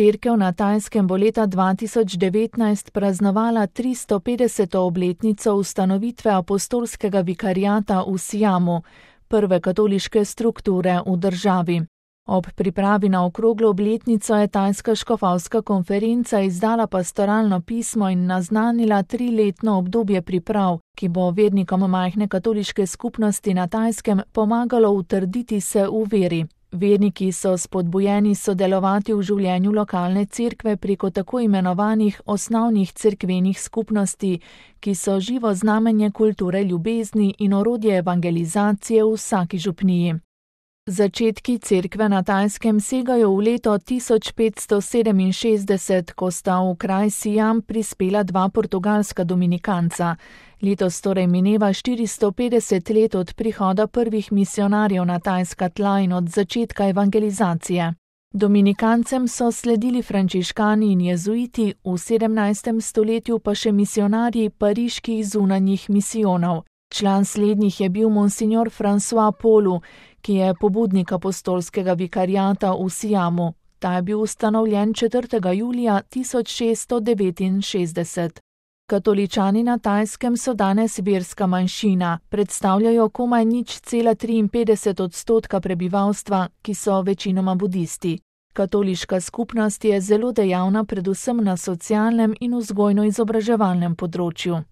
cerkev na Tajskem bo leta 2019 praznovala 350. obletnico ustanovitve apostolskega vikariata v Siamu, prve katoliške strukture v državi. Ob pripravi na okroglo obletnico je Tajska škofovska konferenca izdala pastoralno pismo in naznanila 3-letno obdobje priprav, ki bo vernikom majhne katoliške skupnosti na Tajskem pomagalo utrditi se v veri. Verniki so spodbujeni sodelovati v življenju lokalne cerkve preko tako imenovanih osnovnih cerkvenih skupnosti, ki so živo znamenje kulture ljubezni in orodje evangelizacije v vsaki župniji. Začetki cerkve na Tajskem segajo v leto 1567, ko sta v kraj Siam prispela 2 portugalska dominikanca. Letos torej mineva 450 let od prihoda prvih misionarjev na tajska tla in od začetka evangelizacije. Dominikancem so sledili frančiškani in jezuiti, v 17. stoletju pa še misionarji pariških zunanjih misijonov. Član slednjih je bil monsignor François Polu, ki je pobudnik apostolskega vikariata v Siamu. Ta je bil ustanovljen 4. julija 1669. Katoličani na Tajskem so danes verska manjšina, predstavljajo komaj 0,53% prebivalstva, ki so večinoma budisti. Katoliška skupnost je zelo dejavna predvsem na socialnem in vzgojno-izobraževalnem področju.